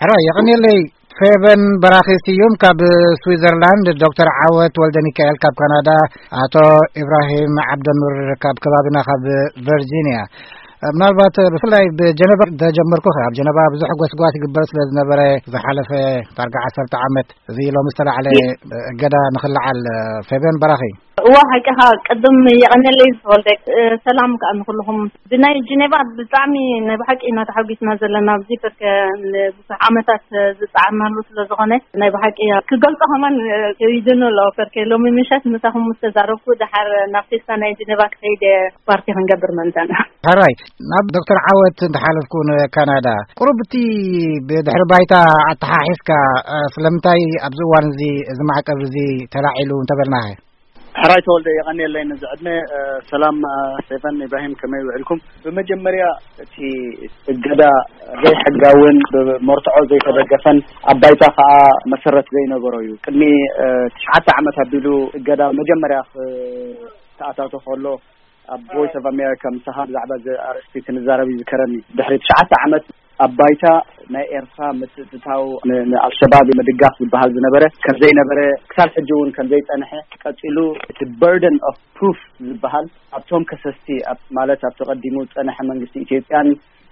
ሕራይ የቐንየለይ። ፌቨን በራኺ ስዩም ካብ ስዊዘርላንድ፣ ዶክተር ዓወት ወልደ ሚካኤል ካብ ካናዳ፣ ኣቶ ኢብራሂም ዓብደኑር ካብ ከባቢና ካብ ቨርጂንያ። ምናልባት ብፍላይ ብጀነባ ተጀመርኩ። ኣብ ጀነባ ብዙሕ ጎስጓስ ይግበር ስለ ዝነበረ፣ ዝሓለፈ ዳርጋ ዓሰርተ ዓመት፣ እዚ ሎሚ ዝተላዕለ እገዳ ንኽልዓል። ፌቨን በራኺ። እዋ፣ ሓቂኻ። ቅድም የቐንየለይ ዝተወልደ። ሰላም ከኣ ንኹልኹም። ብናይ ጀኔቫ ብጣዕሚ ናይ ብሓቂ ኢና ተሓጒስና ዘለና ኣብዚ፣ በርከ ንብዙሕ ዓመታት ዝጸዓርናሉ ስለ ዝኾነ፣ ናይ ብሓቂ ክገልጾ ከማን ከቢድኒ ኣሎ። በርከ ሎሚ ምሸት ምሳኹም ምስ ተዛረብኩ፣ ደሓር ናብ ፌስታ ናይ ጀኔቫ ክኸይድ እየ፣ ፓርቲ ክንገብር ምእንታና። ሕራይ፣ ናብ ዶክተር ዓወት እንተሓለፍኩ፣ ንካናዳ ቁሩብ እቲ ብድሕሪ ባይታ ኣተሓሒዝካ፣ እ፣ ስለምንታይ ኣብዚ እዋን እዚ፣ እዚ ማዕቀብ እዚ ተላዒሉ እንተበልናኸ? ሕራይ ተወልደ፣ የቐንየለይ ነዚ ዕድመ። እ፣ ሰላም፣ እ፣ ፌቨን ኢብራሂም፣ ከመይ ውዒልኩም? ብመጀመርያ እቲ እገዳ ዘይሕጋውን ብመርትዖ ዘይተደገፈን ኣብ ባይታ ከኣ መሰረት ዘይነበሮ እዩ። ቅድሚ፣ እ፣ ትሽዓተ ዓመት ኣቢሉ እገዳ መጀመርያ ክተኣታቶ ከሎ ኣብ ቮይስ ኦፍ ኣሜሪካ ምሳኻ ብዛዕባ እዚ ኣርእስቲ ክንዛረብ ይዝከረኒ። ድሕሪ ትሽዓተ ዓመት ኣብ ባይታ ናይ ኤርትራ ምትእትታው ን-፣ ንኣልሸባብ ምድጋፍ ዝበሃል ዝነበረ ከም ዘይነበረ፣ ክሳብ ሕጂ እውን ከም ዘይጸንሐ፣ ቀጺሉ እቲ በርደን ኦፍ ፕሩፍ ዝበሃል ኣብቶም ከሰስቲ፣ ኣብ፣ ማለት ኣብቲ ቀዲሙ ዝጸንሐ መንግስቲ ኢትዮጵያን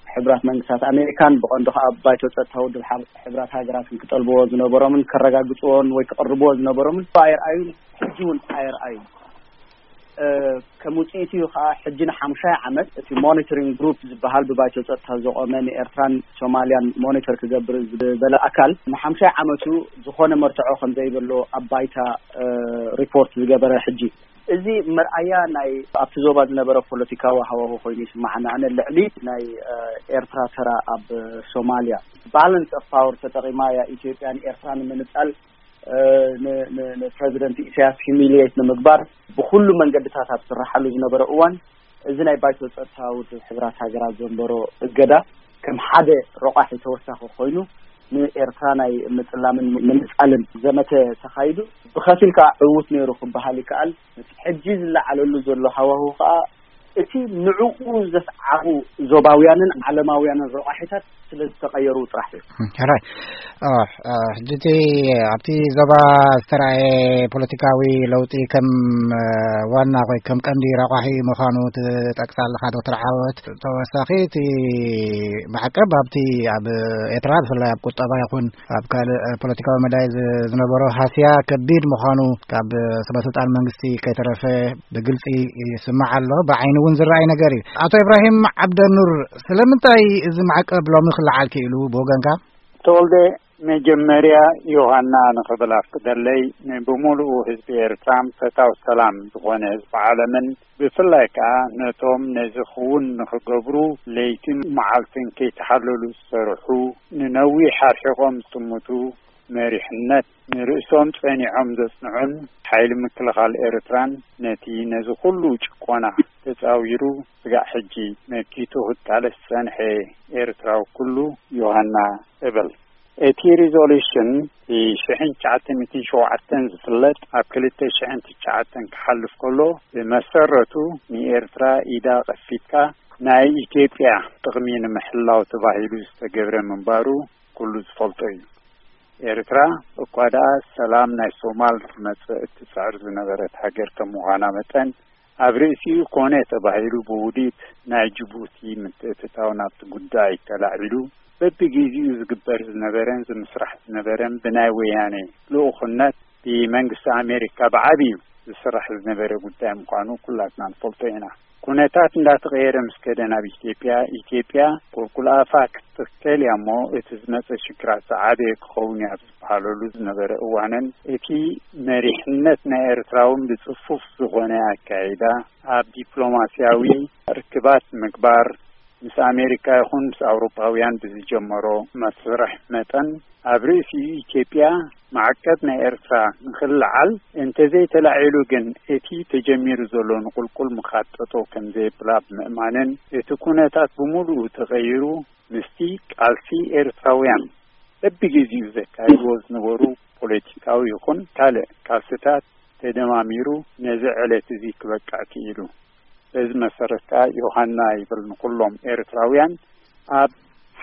ሕቡራት መንግስታት ኣሜሪካን፣ ብቐንዱ ከኣ ኣብ ባይቶ ጸጥታ ውድብ ሓብ-፣ ሕቡራት ሃገራትን ክጠልብዎ ዝነበሮምን ከረጋግጽዎን ወይ ክቕርብዎ ዝነበሮምን ኣይርኣዩን፣ ሕጂ እውን ኣይርኣዩን። እ፣ ከም ውጽኢቱ እዩ ከኣ ሕጂ ንሓሙሻይ ዓመት እቲ ሞኒተሪንግ ግሩፕ ዝበሃል ብባይቶ ጸጥታ ዝቖመ ንኤርትራን ሶማልያን ሞኒተር ክገብር ዝበለ ኣካል ንሓሙሻይ ዓመቱ ዝኾነ መርትዖ ከም ዘይብሎ ኣብ ባይታ፣ እ፣ ሪፖርት ዝገበረ። ሕጂ እዚ መርኣያ ናይ ኣብቲ ዞባ ዝነበረ ፖለቲካዊ ሃዋሁ ኮይኑ ይስምዓኒ። ኣነ ልዕሊ ናይ፣ እ፣ ኤርትራ ተራ ኣብ ሶማልያ ባላንስ ኦፍ ፓወር ተጠቒማ እያ ኢትዮጵያ ንኤርትራ ንምንጻል፣ እ፣ ን-፣ ን-፣ ንፕረዚደንት ኢሳያስ ሂሚሊየት ንምግባር ብኹሉ መንገድታት ኣብ ዝስርሓሉ ዝነበረ እዋን፣ እዚ ናይ ባይቶ ጸጥታ ውድብ ሕቡራት ሃገራት ዘንበሮ እገዳ ከም ሓደ ረቋሒ ተወሳኺ ኮይኑ ንኤርትራ ናይ ምጽላምን ምንጻልን ዘመተ ተኻይዱ። ብኸፊል ከኣ ዕዉት ነይሩ ክበሃል ይከኣል። እቲ ሕጂ ዝለዓለሉ ዘሎ ሃዋሁ ከኣ እቲ ንዕኡ ዘስዓቡ ዞባውያንን ዓለማውያንን ረቋሒታት ስለ ዝተቐየሩ ጥራሕ እዩ። ሕራይ። እ፣ እ፣ ሕጂ እቲ ኣብቲ ዞባ ዝተራእየ ፖለቲካዊ ለውጢ ከም፣ እ፣ ዋና ወይ ከም ቀንዲ ረቋሒ ምዃኑ ትጠቅስ ኣለኻ ዶክተር ዓወት። ተወሳኺ እቲ ማዕቀብ ኣብቲ ኣብ ኤርትራ ብፍላይ ኣብ ቁጠባ ይኹን ኣብ ካልእ ፖለቲካዊ መዳይ ዝ-፣ ዝነበሮ ሃስያ ከቢድ ምዃኑ ካብ ሰበስልጣን መንግስቲ ከይተረፈ ብግልጺ ይስማዕ ኣሎ። ብዓይኒ እውን ዝረኣይ ነገር እዩ። ኣቶ ኢብራሂም ዓብደኑር፣ ስለምንታይ እዚ ማዕቀብ ሎሚ ክለዓል ክኢሉ ብወገንካ? ተወልደ፣ መጀመርያ ዮሃና ንኽብል ኣፍቅደለይ፣ ንብሙሉኡ ህዝቢ ኤርትራን ፈታው ሰላም ዝኾነ ህዝቢ ዓለምን፣ ብፍላይ ከኣ ነቶም ነዚ ክውን ንኽገብሩ ለይትን መዓልትን ከይተሓለሉ ዝሰርሑ፣ ንነዊሕ ኣርሒቖም ዝጥምቱ፣ መሪሕነት ንርእሶም ጸኒዖም ዘጽንዑን ሓይሊ ምክልኻል ኤርትራን ነቲ ነዚ ኩሉ ጭቆና ተጻዊሩ ስጋዕ ሕጂ መኪቱ ክቃለስ ዝጸንሐ ኤርትራዊ ኩሉ ዮሃና እብል። እቲ ሪዞሉሽን ብሽሕን ትሽዓተ ሚእትን ሸውዓተን ዝፍለጥ ኣብ ክልተ ሽሕን ትሽዓተን ክሓልፍ ከሎ ብመሰረቱ ንኤርትራ ኢዳ ከፊትካ ናይ ኢትዮጵያ ጥቕሚ ንምሕላው ተባሂሉ ዝተገብረ ምንባሩ ኩሉ ዝፈልጦ እዩ። ኤርትራ እኳ ደኣ ሰላም ናይ ሶማል ክመጽእ እትጽዕር ዝነበረት ሃገር ከም ምዃና መጠን፣ ኣብ ርእሲኡ ኮነ ተባሂሉ ብውዲት ናይ ጅቡቲ ምትእትታው ናብቲ ጉዳይ ተላዒሉ በብግዜኡ ዝግበር ዝነበረን ዝምስራሕ ዝነበረን ብናይ ወያነ ልኡኽነት ብመንግስቲ ኣሜሪካ ብዓቢዩ ዝስራሕ ዝነበረ ጉዳይ ምዃኑ ኩላትና ንፈልጦ ኢና። ኩነታት እንዳተቐየረ ምስ ከደ ናብ ኢትዮጵያ፣ ኢትዮጵያ ቁልቁል ኣፋ ክትተከል እያ እሞ፣ እቲ ዝመጸ ሽግራት ዝዓበየ ክኸውን እዩ ኣብ ዝበሃለሉ ዝነበረ እዋንን፣ እቲ መሪሕነት ናይ ኤርትራ እውን ብጽፉፍ ዝኾነ ኣካይዳ ኣብ ዲፕሎማስያዊ ርክባት ምግባር፣ ምስ ኣሜሪካ ይኹን ምስ ኣውሮጳውያን ብዝጀመሮ መስርሕ መጠን፣ ኣብ ርእሲኡ ኢትዮጵያ ማዕቀብ ናይ ኤርትራ ንኽልዓል እንተዘይተላዒሉ ግን፣ እቲ ተጀሚሩ ዘሎ ንቁልቁል ምኻድ ጠጠው ከምዘየብላ ብምእማንን፣ እቲ ኩነታት ብምሉኡ ተቐይሩ፣ ምስቲ ቃልሲ ኤርትራውያን በብግዜኡ ዘካይድዎ ዝነበሩ ፖለቲካዊ ይኹን ካልእ ቃልስታት ተደማሚሩ፣ ነዚ ዕለት እዚ ክበቅዕ ክኢሉ። በዚ መሰረት ከኣ ዮሃና ይብል ንኹሎም ኤርትራውያን ኣብ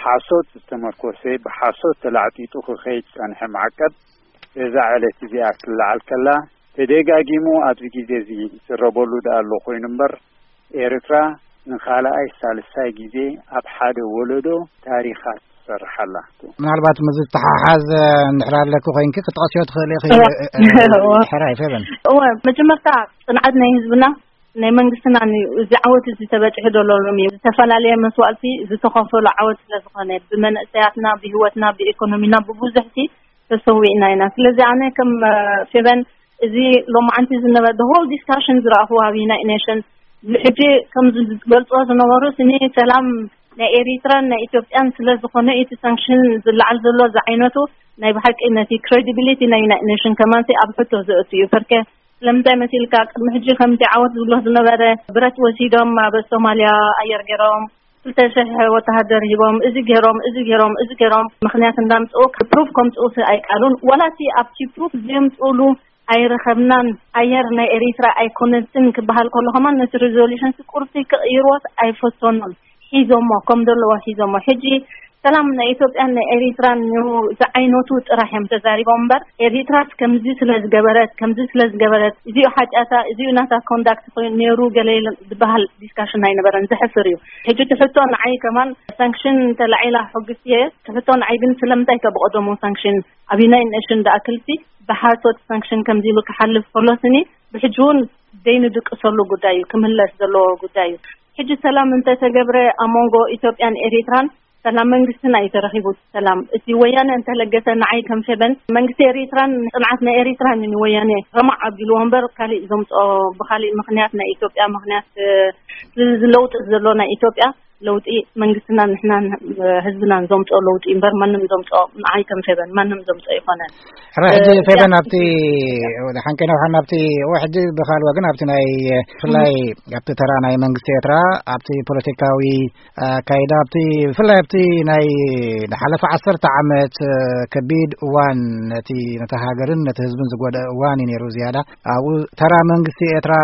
ሓሶት ዝተመርኮሰ፣ ብሓሶት ተላዕጢጡ ክኸይድ ዝጸንሐ ማዕቀብ በዛ ዕለት እዚኣ ክትለዓል ከላ፣ ተደጋጊሙ ኣብዚ ግዜ እዚ ይዝረበሉ ደኣ ኣሎ ኮይኑ እምበር፣ ኤርትራ ንኻልኣይ ሳልሳይ ግዜ ኣብ ሓደ ወለዶ ታሪኻ ትሰርሓላ። ምናልባት ምስ ዝተሓሓዝ እንድሕር ኣለኪ ኮይንኪ ክትጠቕስዮ ትኽእሊ ኢኺ። እወ። እ፣ እ፣ እወ። ሕራይ ፌበን። እወ፣ መጀመርታ ጽንዓት ናይ ህዝብና፣ ናይ መንግስትና እዩ። እዚ ዓወት እዚ ተበጺሑ ዘሎ ሎሚ እዩ። ዝተፈላለየ መስዋእቲ ዝተኸፈሉ ዓወት ስለ ዝኾነ፣ ብመንእሰያትና፣ ብህይወትና፣ ብኢኮኖሚና፣ ብብዙሕቲ ተሰዊእና ኢና። ስለዚ ኣነ ከም፣ እ፣ ፌበን፣ እዚ ሎማዓንቲ ዝነበረ the whole discussion ዝረኣኹዎ ኣብ ዩናይትድ ኔሽን፣ ሕጂ ከም ዝገልጾ ዝነበሩ ስኒ ሰላም ናይ ኤሪትራን ናይ ኢትዮጵያን ስለ ዝኾነ፣ እቲ ሳንክሽን ዝለዓል ዘሎ ዝዓይነቱ ናይ ብሓቂ ነቲ ክሬዲቢሊቲ ናይ ዩናይትድ ኔሽን ከማንሲ ኣብ ሕቶ ዘእቱ እዩ። ፐርከ ስለምንታይ መሲልካ፣ ቅድሚ ሕጂ ከምቲ ዓወት ዝብሎ ዝነበረ፣ ብረት ወሲዶም ኣብ ሶማልያ ኣየር ገይሮም፣ ክልተ ሽሕ ወተሃደር ሂቦም፣ እዚ ገይሮም፣ እዚ ገይሮም፣ እዚ ገይሮም፣ ምኽንያት እንዳምጽኡ ፕሩፍ ከምጽኡ ኣይቃሉን። ዋላ እቲ ኣብቲ ፕሩፍ ዘምጽኡሉ ኣይረኸብናን፣ ኣየር ናይ ኤሪትራ ኣይኮነትን ክበሃል ከሎ ከማን ነቲ ሪዞሉሽን ቁርሲ ክቕይርዎስ ኣይፈተኑን። ሒዞሞ፣ ከም ዘለዎ ሒዞሞ። ሕጂ ሰላም ናይ ኢትዮጵያን ናይ ኤሪትራን እዩ ዝዓይነቱ ጥራሕ እዮም ተዛሪቦም እምበር፣ ኤሪትራስ ከምዚ ስለ ዝገበረት፣ ከምዚ ስለ ዝገበረት፣ እዚኡ ሓጢኣታ፣ እዚኡ ናታ ኮንዳክት ኮይኑ ነይሩ ገለ ኢለን ዝበሃል ዲስካሽን ኣይነበረን። ዘሕፍር እዩ። ሕጂ እቲ ሕቶ ንዓይ ከማን ሳንክሽን ተላዒላ ሕጉስ እየ። እቲ ሕቶ ንዓይ ግን ስለምንታይ ከ ብቐደሙ ሳንክሽን ኣብ ዩናይትድ ኔሽን ደኣክልሲ ብሓሶት ሳንክሽን ከምዚ ኢሉ ክሓልፍ ከሎ ስኒ ብሕጂ እውን ዘይንድቅሰሉ ጉዳይ እዩ፣ ክምለስ ዘለዎ ጉዳይ እዩ። ሕጂ ሰላም እንተተገብረ ኣብ መንጎ ኢትዮጵያን ኤሪትራን ሰላም መንግስትና እዩ ተረኺቡ። ሰላም እቲ ወያነ እንተለገሰ ንዓይ ከም ፌበን መንግስቲ ኤሪትራን ጽንዓት ናይ ኤሪትራን እዩ ንወያነ ረማዕ ኣቢልዎ እምበር ካሊእ ዘምጽኦ ብካሊእ ምኽንያት ናይ ኢትዮጵያ ምኽንያት፣ እ፣ እዚ ለውጢ ዘሎ ናይ ኢትዮጵያ ለውጢ መንግስትና ንሕናን፣ እ፣ ህዝብናን ዘምጽኦ ለውጢ እምበር ማንም ዘምጽኦ ንዓይ ከም ፌበን ማንም ዘምጽኦ ይኾነን። ሕራይ ሕጂ እ፣ ፌበን ያ- ኣብቲ ሓንቀይና ውሓን ኣብቲ እወ ሕጂ ብኻልዋ ግን ኣብቲ ናይ ብፍላይ ኣብቲ ተራ ናይ መንግስቲ ኤርትራ ኣብቲ ፖለቲካዊ ኣካይዳ ኣብቲ ብፍላይ ኣብቲ ናይ ዝሓለፈ ዓሰርተ ዓመት፣ እ፣ ከቢድ እዋን ነቲ ነታ ሃገርን ነቲ ህዝብን ዝጎደአ እዋን እዩ ነይሩ። ዝያዳ ኣብኡ ተራ መንግስቲ ኤርትራ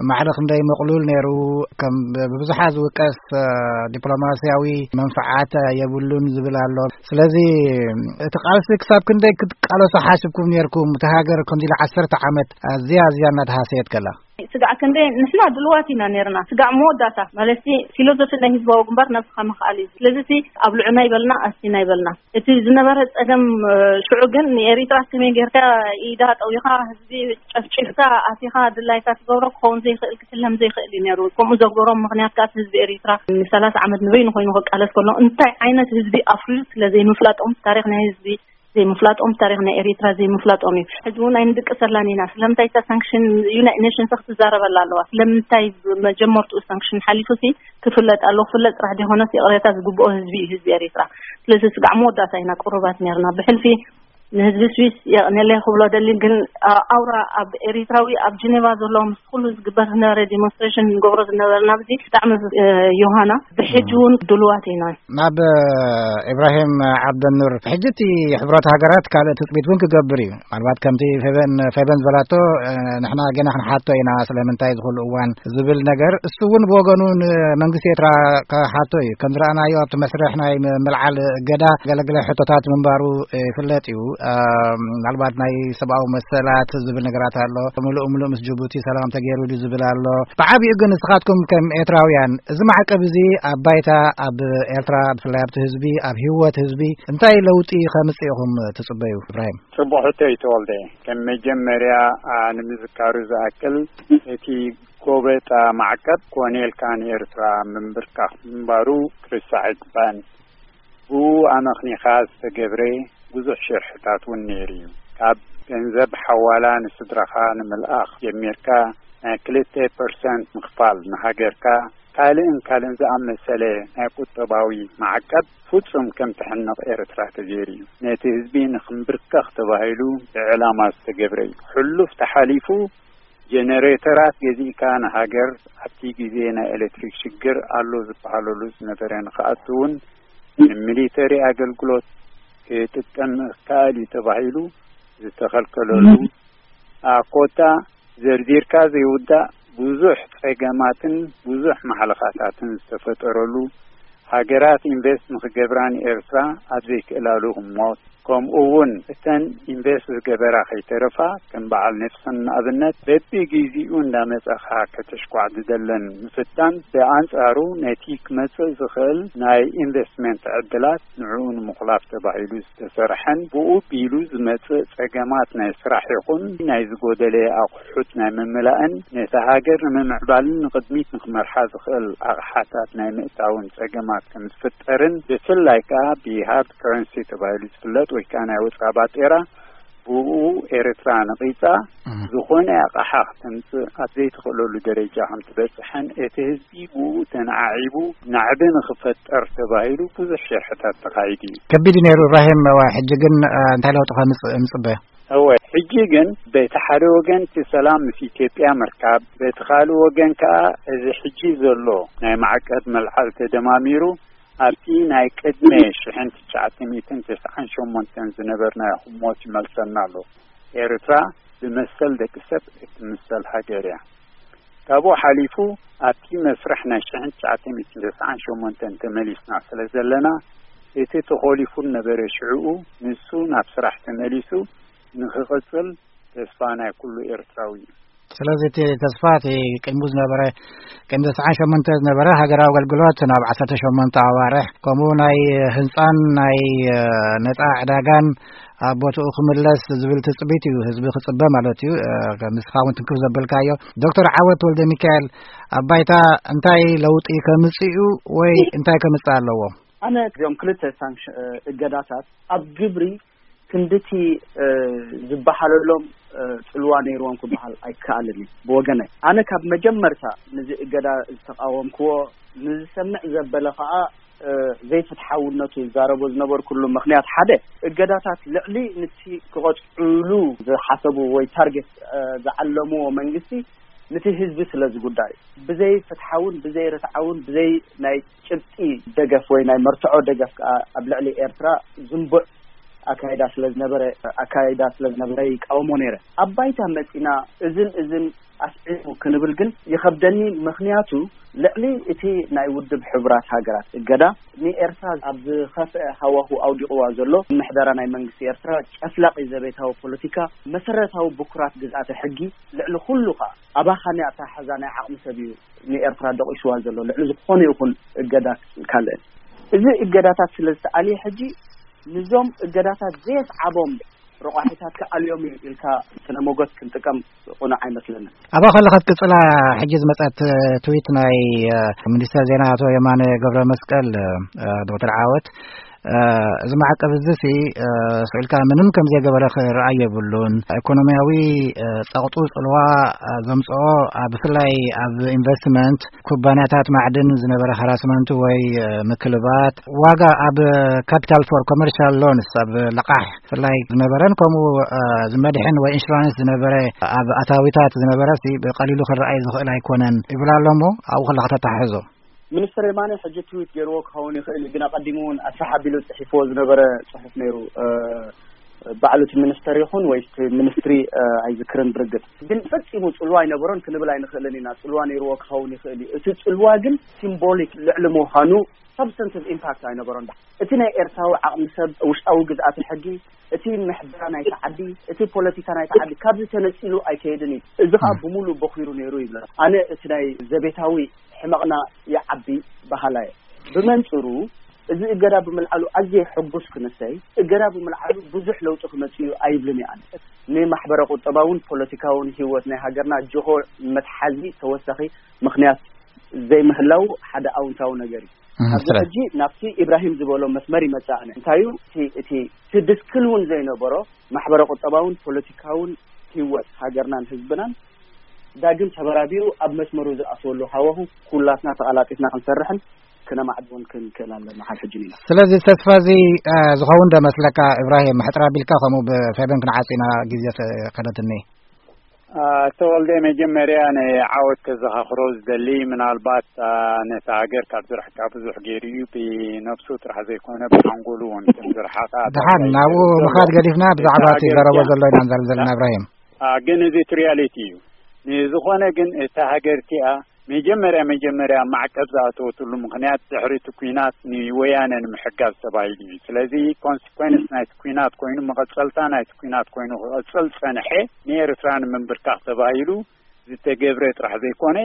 ማዕረ ክንደይ ምቕሉል ነይሩ፣ ከም ብብዙሓት ዝውቀስ፣ እ፣ ዲፕሎማስያዊ መንፍዓት የብሉን ዝብል ኣሎ። ስለዚ እቲ ቃልሲ ክሳብ ክንደይ ክትቃለሶ ሓሲብኩም ነይርኩም? እቲ ሃገር ከምዚ ኢሉ ዓሰርተ ዓመት ኣዝያ ኣዝያ እናተሃሰየት ከላ። ስጋዕ ክንደይ ንሕና ድልዋት ኢና ነርና። ስጋዕ መወዳእታ ማለትሲ ፊሎዞፊ ናይ ህዝባዊ ግንባር ነብስኻ ምኽኣል እዩ። ስለዚ እቲ ኣብ ልዑና ይበልና ኣስቲና ይበልና። እቲ ዝነበረ ጸገም፣ እ፣ ሽዑ ግን ንኤሪትራ ከመይ ጌርካ ኢዳ ጠዊኻ ህዝቢ ጨፍጪፍካ ኣቲኻ ድላይካ ትገብሮ ክኸውን ዘይክእል ክሕለም ዘይክእል እዩ ነይሩ። ከምኡ ዘግበሮም ምኽንያት ከኣ ህዝቢ ኤሪትራ ንሰላሳ ዓመት ንበይኑ ኮይኑ ክቃለስ ከሎ እንታይ ዓይነት ህዝቢ ኣፍርዩ ስለ ዘይምፍላጦም ታሪኽ ናይ ህዝቢ ዘይምፍላጦም፣ ታሪኽ ናይ ኤሪትራ ዘይምፍላጦም እዩ። ሕጂ እውን ኣይንድቅሰላን ኢና። ስለምንታይ እታ ሳንክሽን ዩናይትድ ኔሽንስ ክትዛረበላ ኣለዋ? ስለምንታይ መጀመርትኡ ሳንክሽን ሓሊፉ ሲ ክፍለጥ ኣለዎ? ክፍለጥ ጥራሕ ዘይኮነስ ይቕሬታ ዝግብኦ ህዝቢ እዩ ህዝቢ ኤሪትራ። ስለዚ ስጋዕ መወዳእታ ኢና ቅሩባት ነርና። ብሕልፊ ንህዝቢ ስዊስ የቕኔለይ ክብሎ ደሊ፣ ግን፣ አ፣ ኣውራ ኣብ ኤሪትራዊ ኣብ ጀኔቫ ዘሎ ምስ ኩሉ ዝግበር ዝነበረ ዲሞንስትሬሽን ንገብሮ ዝነበርና ኣብዚ ብጣዕሚ፣ እ፣ ዮሃና ብሕጂ እውን ድልዋት ኢና። ናብ፣ እ፣ ኢብራሂም ዓብደኑር፣ ሕጂ እቲ ሕብረት ሃገራት ካልእ ትጽቢት እውን ክገብር እዩ። ምናልባት ከምቲ ፌቨን፣ ፌቨን ዝበላቶ፣ እ፣ ንሕና ገና ክንሓቶ ኢና ስለምንታይ ዝኹሉ እዋን ዝብል ነገር፣ እሱ እውን ብወገኑ ንመንግስቲ ኤርትራ ክሓቶ እዩ። ከም ዝረኣናዮ ኣብቲ መስርሕ ናይ ም-፣ ምልዓል እገዳ ገለገለ ሕቶታት ምንባሩ፣ እ፣ ይፍለጥ እዩ። እ፣ ምናልባት ናይ ሰብኣዊ መሰላት ዝብል ነገራት ኣሎ። ምሉእ ምሉእ ምስ ጅቡቲ ሰላም ተገይሩ ድዩ ዝብል ኣሎ። ብዓቢኡ ግን ንስኻትኩም ከም ኤርትራውያን እዚ ማዕቀብ እዚ ኣብ ባይታ ኣብ ኤርትራ ብፍላይ ኣብቲ ህዝቢ ኣብ ህይወት ህዝቢ እንታይ ለውጢ ከምጽእ ኢኹም ትጽበዩ? ኢብራሂም። ጽቡቕ ሕቶ እዩ ተወልደ። ከም መጀመርያ፣ ኣ፣ ንምዝካሩ ዝኣክል እቲ ጎበጣ ማዕቀብ ኮነ ኢልካ ንኤርትራ ምንብርካኽ ምንባሩ ክርሳዕ ኣይግባእን። ብኡ ኣመኽኒኻ ዝተገብረ ብዙሕ ሽርሕታት እውን ነይሩ እዩ። ካብ ገንዘብ ሓዋላ ንስድራኻ ንምልኣኽ ጀሚርካ፣ ናይ ክልተ ፐርሰንት ምኽፋል ንሃገርካ፣ ካልእን ካልእን ዝኣመሰለ ናይ ቁጠባዊ ማዕቀብ ፍጹም ከም ትሕነቕ ኤርትራ ተገይሩ እዩ። ነቲ ህዝቢ ንኽንብርከኽ ተባሂሉ ብዕላማ ዝተገብረ እዩ። ሕሉፍ ተሓሊፉ ጀነሬተራት ገዚእካ ንሃገር ኣብቲ ግዜ ናይ ኤሌክትሪክ ሽግር ኣሎ ዝበሃለሉ ዝነበረ ንኽኣቱ እውን ንሚሊተሪ ኣገልግሎት ክጥቀም ክኣል እዩ ተባሂሉ ዝተኸልከለሉ፣ ኣ፣ ኮታ ዘርዚርካ ዘይውዳእ ብዙሕ ጸገማትን ብዙሕ ማሕለኻታትን ዝተፈጠረሉ፣ ሃገራት ኢንቨስት ንኽገብራ ንኤርትራ ኣብ ዘይክእላሉ ህሞት፣ ከምኡ እውን እተን ኢንቨስት ዝገበራ ከይተረፋ፣ ከም በዓል ኔልሰን ንኣብነት፣ በቢጊዜኡ እንዳመጸኻ ከተሽኳዕ ዝደለን ምፍታን፣ ብኣንጻሩ ነቲ ክመጽእ ዝኽእል ናይ ኢንቨስትመንት ዕድላት ንዕኡ ንምኹላፍ ተባሂሉ ዝተሰርሐን ብኡ ቢሉ ዝመጽእ ጸገማት ናይ ስራሕ ይኹን ናይ ዝጎደለ ኣቑሑት ናይ ምምላእን ነታ ሃገር ንምምዕባልን ንቕድሚት ንኽመርሓ ዝኽእል ኣቕሓታት ናይ ምእታውን ጸገማት ከም ዝፍጠርን፣ ብፍላይ ከኣ ብሃርድ ከረንሲ ተባሂሉ ዝፍለጥ ወይ ከኣ ናይ ወጻኢ ባጤራ፣ ብኡ ኤርትራ ነቒጻ ዝኾነ ኣቕሓ ክትምጽእ ኣብ ዘይትኽእለሉ ደረጃ ከም ትበጽሕን እቲ ህዝቢ ብኡ ተነዓዒቡ ናዕቢ ንኽፈጠር ተባሂሉ ብዙሕ ሽርሕታት ተኻይዱ እዩ። ከቢድ እዩ ነይሩ። ኢብራሂም፣ ሕጂ ግን እንታይ ለውጢ ከምጽእ ንጽበ? እወ፣ ሕጂ ግን በቲ ሓደ ወገን እቲ ሰላም ምስ ኢትዮጵያ ምርካብ፣ በቲ ካልእ ወገን ከኣ እዚ ሕጂ ዘሎ ናይ ማዕቀብ መልዓል ተደማሚሩ ኣብቲ ናይ ቅድመ ሽሕን ትሽዓተ ሚእትን ተስዓን ሸሞንተን ዝነበርናዮ ህሞት ይመልሰና ኣሎ። ኤርትራ ብመሰል ደቂ ሰብ እትምሰል ሃገር እያ። ካብኡ ሓሊፉ ኣብቲ መስርሕ ናይ ሽሕን ትሽዓተ ሚእትን ተስዓን ሸሞንተን ተመሊስና ስለ ዘለና፣ እቲ ተኾሊፉ ነበረ ሽዕኡ ንሱ ናብ ስራሕ ተመሊሱ ንኽቕጽል ተስፋ ናይ ኩሉ ኤርትራዊ እዩ። ስለዚ እቲ ተስፋ እቲ ቅድሙ ዝነበረ፣ ቅድሚ ተስዓን ሸሞንተ ዝነበረ ሃገራዊ ኣገልግሎት ናብ ዓሰርተ ሸሞንተ ኣዋርሕ፣ ከምኡ ናይ ህንጻን ናይ ነጻ ዕዳጋን ኣብ ቦትኡ ክምለስ ዝብል ትጽቢት እዩ ህዝቢ ክጽበ ማለት እዩ። ከምስኻ እውን ትንክፍ ዘበልካዮ ዶክተር ዓወት ወልደ ሚካኤል፣ ኣብ ባይታ እንታይ ለውጢ ከምጽእ እዩ ወይ እንታይ ከምጽእ ኣለዎ? ኣነ እዚኦም ክልተ ሳንክሽ እገዳታት ኣብ ግብሪ ክንድቲ ዝበሃለሎም ጽልዋ ነይርዎም ክበሃል ኣይከኣልን እዩ። ብወገነይ ኣነ ካብ መጀመርታ ንዚ እገዳ ዝተቃወምክዎ፣ ንዝሰምዕ ዘበለ ከዓ ዘይፍትሓውነቱ ዝዛረቦ ዝነበርኩሉ ምኽንያት ሓደ፣ እገዳታት ልዕሊ ንቲ ክቐጽዕሉ ዝሓሰቡ ወይ ታርጌት ዝዓለምዎ መንግስቲ ንቲ ህዝቢ ስለ ዝጉዳዩ፣ ብዘይ ፍትሓውን ብዘይ ርትዓውን ብዘይ ናይ ጭብጢ ደገፍ ወይ ናይ መርትዖ ደገፍ ከዓ ኣብ ልዕሊ ኤርትራ ዝንቡዕ ኣካይዳ ስለ ዝነበረ ኣካይዳ ስለ ዝነበረ ይቃወሞ ነይረ። ኣብ ባይታ መጺና እዝን እዝን ኣስዒቡ ክንብል ግን ይኸብደኒ። ምኽንያቱ ልዕሊ እቲ ናይ ውድብ ሕቡራት ሃገራት እገዳ ንኤርትራ ኣብ ዝኸፍአ ሃዋሁ ኣውዲቕዋ ዘሎ ምሕደራ ናይ መንግስቲ ኤርትራ፣ ጨፍላቂ ዘቤታዊ ፖለቲካ፣ መሰረታዊ ብኩራት ግዝኣተ ሕጊ፣ ልዕሊ ኩሉ ከኣ ኣባኻኒ ኣተሓሕዛ ናይ ዓቕሚ ሰብ እዩ ንኤርትራ ደቂስዋ ዘሎ፣ ልዕሊ ዝኾነ ይኹን እገዳ ካልእን። እዚ እገዳታት ስለ ዝተኣልየ ሕጂ ንዞም እገዳታት ዘየስዓቦም ረቋሒታት ክኣልዮም እዩ ኢልካ ስነ ሞገት ክንጥቀም ቁኑዕ ኣይመስለንን። ኣብኣ ከለኻ ክትቅጽላ ሕጂ ዝመጸት ትዊት ናይ ሚኒስተር ዜና ኣቶ የማነ ገብረ መስቀል፣ ዶክተር ዓወት፣ እዚ ማዕቀብ እዚ ሲ ስዕልካ ምንም ከም ዘይገበረ ክረኣይ የብሉን። ኢኮኖሚያዊ ጸቕጡ ጽልዋ ዘምጽኦ፣ ብፍላይ ኣብ ኢንቨስትመንት፣ ኩባንያታት ማዕድን ዝነበረ ሃራስመንት ወይ ምክልባት፣ ዋጋ ኣብ ካፒታል ፎር ኮመርሻል ሎንስ ኣብ ለቓሕ ብፍላይ ዝነበረን ከምኡ ዝመድሕን ወይ ኢንሹራንስ ዝነበረ ኣብ ኣታዊታት ዝነበረ ሲ ብቐሊሉ ክረኣይ ዝኽእል ኣይኮነን ይብል ኣሎ። እሞ ኣብኡ ከለኻ ተተሓሕዞ። ሚኒስትር የማነ ሕጂ ትዊት ገይርዎ ክኸውን ይኽእል እዩ፣ ግን ኣቐዲሙ እውን ኣስፍሕ ኣቢሉ ጽሒፍዎ ዝነበረ ጽሑፍ ነይሩ። ባዕሉ እቲ ሚኒስተር ይኹን ወይ እቲ ሚኒስትሪ ኣይዝክርን ብርግጽ፣ ግን ፈጺሙ ጽልዋ ኣይነበሮን ክንብል ኣይንኽእልን ኢና። ጽልዋ ነይርዎ ክኸውን ይኽእል እዩ። እቲ ጽልዋ ግን ሲምቦሊክ ልዕሊ ምዃኑ ሳብስታንቲቭ ኢምፓክት ኣይነበሮን። እቲ ናይ ኤርትራዊ ዓቕሚ ሰብ፣ ውሽጣዊ ግዝኣተ ሕጊ፣ እቲ ምሕደራ ናይቲ ዓዲ፣ እቲ ፖለቲካ ናይቲ ዓዲ ካብዚ ተነጺሉ ኣይከይድን እዩ። እዚ ኸኣ ብምሉእ ቦኺሩ ነይሩ ይብለካ። ኣነ እቲ ናይ ዘቤታዊ ሕመቕና ይዓቢ በሃላይ እየ። ብመንጽሩ እዚ እገዳ ብምልዓሉ ኣዝየ ሕጉስ ክንሰይ፣ እገዳ ብምልዓሉ ብዙሕ ለውጢ ክመጽእ እዩ ኣይብልን እየ። ኣነ ንማሕበረ ቁጠባውን ፖለቲካውን ህይወት ናይ ሃገርና ጅሆ መትሓዚ ተወሳኺ ምኽንያት ዘይምህላው ሓደ ኣውንታዊ ነገር እዩ። ኣብዚ ሕጂ ናብቲ ኢብራሂም ዝበሎ መስመር ይመጽእ። ኣነ እንታይ እዩ እቲ እቲ እቲ ድስክል እውን ዘይነበሮ ማሕበረ ቁጠባውን ፖለቲካውን ህይወት ሃገርናን ህዝብናን ዳግም ተበራቢሩ ኣብ መስመሩ ዝኣትወሉ ሃዋሁ ኩላትና ተቐላጢፍና ክንሰርሕን ክነማዕድዎን ክንክእል ኣለና። ካብ ሕጂ ንኢላ። ስለዚ ተስፋ እዚ ዝኸውን ዶ መስለካ ኢብራሂም? ሕጥር ኣቢልካ ከምኡ ብፌበን ክንዓጽ ኢና፣ ግዜ ከደትኒ። ኣቶ ወልደ፣ መጀመርያ ንዓወት ከዘኻኽሮ ዝደሊ፣ ምናልባት ነታ ሃገር ካብ ዝርሕቃ ብዙሕ ገይሩ እዩ። ብነብሱ ጥራሕ ዘይኮነ ብሓንጎሉ እውን ከም ዝረሓቓ ደሓን ናብኡ ምኻድ ገዲፍና ብዛዕባ እቲ ዘረቦ ዘሎ ኢና ንዛረብ ዘለና። ኢብራሂም፣ ግን እዚ እቲ ሪያሊቲ እዩ። ንዝኾነ ግን እታ ሃገር እቲኣ መጀመርያ መጀመርያ ማዕቀብ ዝኣተወትሉ ምኽንያት ድሕሪ እቲ ኲናት ንወያነ ንምሕጋዝ ተባሂሉ እዩ። ስለዚ ኮንሲኮንስ ናይቲ ኲናት ኮይኑ፣ መቐጸልታ ናይቲ ኲናት ኮይኑ ክቐጽል ጸንሐ፣ ንኤርትራ ንምንብርካኽ ተባሂሉ ዝተገብረ ጥራሕ ዘይኮነ፣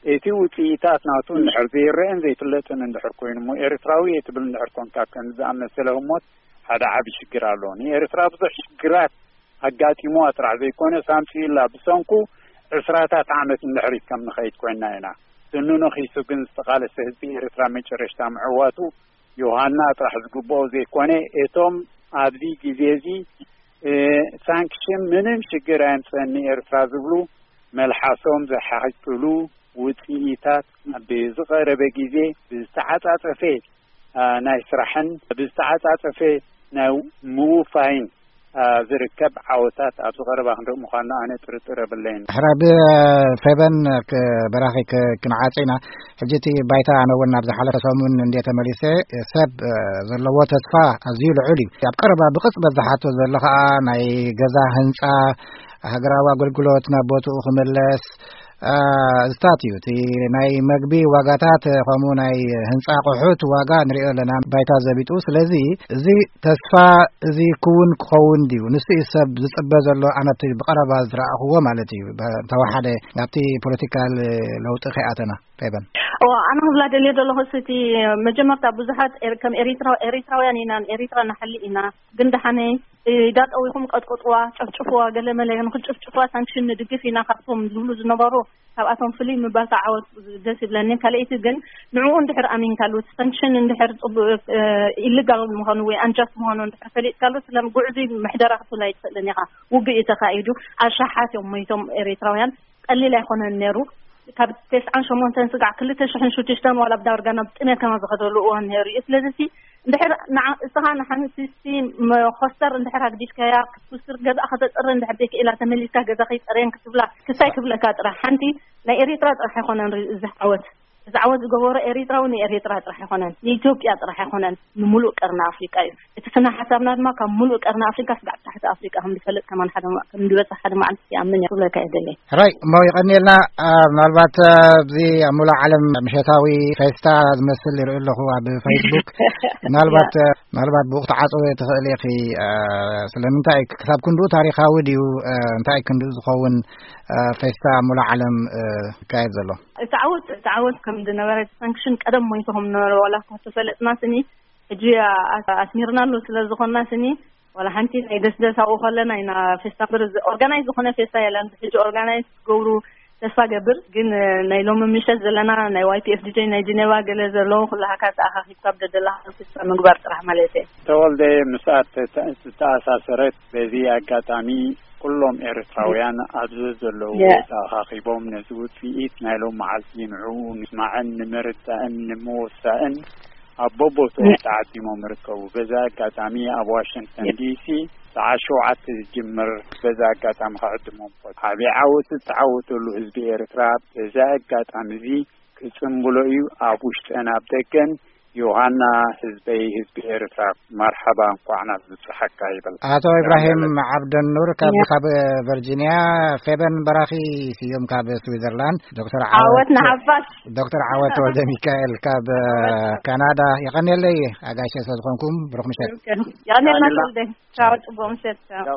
እቲ ውጽኢታት ናቱ እንድሕር ዘይረአን ዘይፍለጥን እንድሕር ኮይኑ እሞ፣ ኤርትራዊ እየ ትብል እንድሕር ኮንካ፣ ከም ዝኣመሰለ ህሞት ሓደ ዓቢ ሽግር ኣሎ። ንኤርትራ ብዙሕ ሽግራት ኣጋጢሞዋ ጥራሕ ዘይኮነ፣ ሳምጺ ኢላ ብሰንኩ ዕስራታት ዓመት እንድሕሪት ከም ንኸይድ ኮይና ኢና። ስኑ ነኺሱ ግን ዝተቓለሰ ህዝቢ ኤርትራ መጨረሽታ ምዕዋቱ ዮሃና ጥራሕ ዝግብኦ ዘይኮነ፣ እቶም ኣብዚ ግዜ እዚ፣ እ፣ ሳንክሽን ምንም ሽግር ኣየምጽእን ንኤርትራ ዝብሉ፣ መልሓሶም ዝሓጭሉ ውጽኢታት ኣብ ዝቐረበ ግዜ ብዝተዓጻጸፈ፣ እ፣ ናይ ስራሕን ብዝተዓጻጸፈ ናይ ምውፋይን፣ እ፣ ዝርከብ ዓወታት ኣብዚ ቀረባ ክንርኢ ምዃንና ኣነ ጥርጥር የብለይን። ሕራይ ብፌበን ክ-፣ በራኺ ክ-፣ ክንዓጽ ኢና። ሕጂ እቲ ባይታ ኣነ እውን ናብ ዝሓለፈ ሰሙን እንዴ ተመሊሰ፣ ሰብ፣ እ፣ ዘለዎ ተስፋ ኣዝዩ ልዑል እዩ። ኣብ ቀረባ ብቕጽበት ዝሓቶ ዘሎ ኸኣ ናይ ገዛ ህንጻ፣ ሃገራዊ ኣገልግሎት ናብ ቦትኡ ክምለስ፣ እ፣ ዝታት እዩ። እቲ ናይ መግቢ ዋጋታት፣ ከምኡ ናይ ህንጻ ኣቑሑት ዋጋ ንሪኦ ኣለና፣ ባይታ ዘቢጡ። ስለዚ እዚ ተስፋ እዚ ክውን ክኸውን ድዩ? ንሱ እዩ ሰብ ዝጽበ ዘሎ፣ ኣነ እቲ ብቐረባ ዝረኣኽዎ ማለት እዩ። ብ-፣ እንተወሓደ ናብቲ ፖለቲካል ለውጢ ከይኣተና። ፌበን። እዋ፣ ኣነ ክብላ ደልየ ዘለኹ፣ እቲ መጀመርታ ብዙሓት ኤር-፣ ከም ኤሪትራ-፣ ኤሪትራውያን ኢና፣ ኤሪትራ ንሓሊ ኢና፣ ግን ደሓነ ኢዳ ጠዊኹም ቀጥቅጥዋ፣ ጨፍጭፍዋ፣ ገለ መለ ንክጨፍጭፍዋ ሳንክሽን ንድግፍ ኢና ካብቶም ዝብሉ ዝነበሩ፣ ካብኣቶም ፍልይ ምባልካ ዓወት ደስ ይብለኒ። ካልኣይቲ ግን ንዕኡ እንድሕር ኣሚንካሉ፣ እቲ ሳንክሽን እንድሕር ጽቡቅ፣ እ፣ ኢሊጋል ምዃኑ ወይ ኣንጃስት ምዃኑ እንድሕር ፈሊጥካሉ፣ ስለ ጉዕዙይ ምሕደራ ክትብል ኣይትኽእልን ኢኻ። ውግእ እዩ ተኻይዱ፣ ኣሽሓት እዮም ሞይቶም ኤሪትራውያን። ቀሊል ኣይኮነን ነይሩ። ካብ ተስዓን ሸሞንተን ስጋዕ ክልተ ሽሕን ሽዱሽተን ዋላ ኣብ ዳርጋ ናብ ጥሜት ከማ ዝኸደሉ እዋን ነይሩ እዩ። ስለዚ ሲ እንድሕር ንዓ-፣ እስኻ ንሓንቲ ሲ መኾስተር እንድሕር ኣግዲፍካያ፣ ክትኩስር ገዛእ ከተጽሪ እንድሕር ዘይክኢላ፣ ተመሊስካ ገዛ ከይጸርየን ክትብላ፣ ክሳይ ክብለካ ጥራሕ፣ ሓንቲ ናይ ኤሪትራ ጥራሕ ኣይኮነን ሪ-፣ እዚ ዓወት። እዚ ዓወት ዝገበሮ ኤሪትራዊ ንኤሪትራ ጥራሕ ኣይኮነን፣ ንኢትዮጵያ ጥራሕ ኣይኮነን፣ ንምሉእ ቀርኒ ኣፍሪቃ እዩ። እቲ ስነ ሓሳብና ድማ ካብ ምሉእ ቀርኒ ኣፍሪቃ ስጋዕ ታሕቲ ኣፍሪቃ ከም ዝፈልጥ ከማን ሓደ ማ-፣ ከም ዝበጽሕ ሓደ መዓልቲ ይኣምን እየ ክብለካ እየ ደለይ። ሕራይ እሞ ይቐንየልና። አ፣ ምናልባት፣ አ፣ ኣብዚ ኣብ ሙሉእ ዓለም ምሸታዊ ፌስታ ዝመስል ይርኢ ኣለኹ ኣብ ፌስቡክ። ምናልባት፣ ያ። አ፣ ምናልባት ብኡ ክትዓጽዎ ትኽእል ኢኺ። አ፣ ስለምንታይ ክሳብ ክንድኡ ታሪኻዊ ድዩ? አ፣ እንታይ ክንድኡ ዝኸውን፣ አ፣ ፌስታ ኣብ ሙሉእ ዓለም፣ አ፣ ይካየድ ዘሎ? እቲ ዓወት፣ እቲ ዓወት ከም ዝነበረ፣ እቲ ሳንክሽን ቀደም ሞይቱ ከም ዝነበረ ዋላ እኳ ተፈለጥና ስኒ፣ ሕጂ ኣ-፣ ኣስሚርናሉ ስለ ዝኾንና ስኒ፣ ዋላ ሓንቲ ናይ ደስደስ ኣብኡ ከለና ኢና ፌስታ እምበር፣ እዚ ኦርጋናይዝ ዝኾነ ፌስታ የለን። ሕጂ ኦርጋናይዝ ክገብሩ ተስፋ ገብር፣ ግን ናይ ሎሚ ምሸት ዘለና ናይ ዋይ ፒ ኤፍ ዲ ጀይ ናይ ጀኔቫ ገለ ዘለዉ ኩላሃካ ተኣኻኺብካ ኣብ ደደላኻ ፌስታ ምግባር ጥራሕ ማለት እየ። ተወልደ፣ ምስኣ ተተ-፣ ዝተኣሳሰረት በዚ ኣጋጣሚ ኩሎም ኤርትራውያን ኣብ ዘዘለዉ የ- ተኣኻኺቦም ነዚ ውጽኢት ናይ ሎም መዓልቲ ንዕኡ ንምስማዕን ንምርዳእን ንምውሳእን ኣብ በቦትኦም የ- ተዓዲሞም ይርከቡ። በዚ ኣጋጣሚ ኣብ ዋሽንግተን የ- ዲ ሲ ሰዓት ሸውዓተ ዝጅምር፣ በዚ ኣጋጣሚ ክዕድሞም እፈቱ። ዓቢ ዓወት ዝተዓወተሉ ህዝቢ ኤርትራ በዚ ኣጋጣሚ እዚ ክጽንብሎ እዩ። ኣብ ውሽጥን ኣብ ደገን ዮሃና ህዝበይ፣ ህዝቢ ኤርትራ፣ መርሓባ፣ እንቋዕ ናብ ዝበጽሓካ ይብል። ኣቶ ኢብራሂም ዓብደኑር ካብ፣ ያ። ካብ ቨርጂንያ፣ ፌበን በራኺ ስዩም ካብ ስዊዘርላንድ፣ ዶክተር ዓወት ዓወት ንሓፋሽ። ዶክተር ዓወት ወልደ ሚካኤል ካብ ዓወት። ካናዳ። የቐንየለይ ኣጋይሸ ስለ ዝኾንኩም፣ ብሩኽ ምሸት። የቐንየልና ተወልደ። ቻው፣ ጽቡቕ ምሸት። ቻው። ቻው።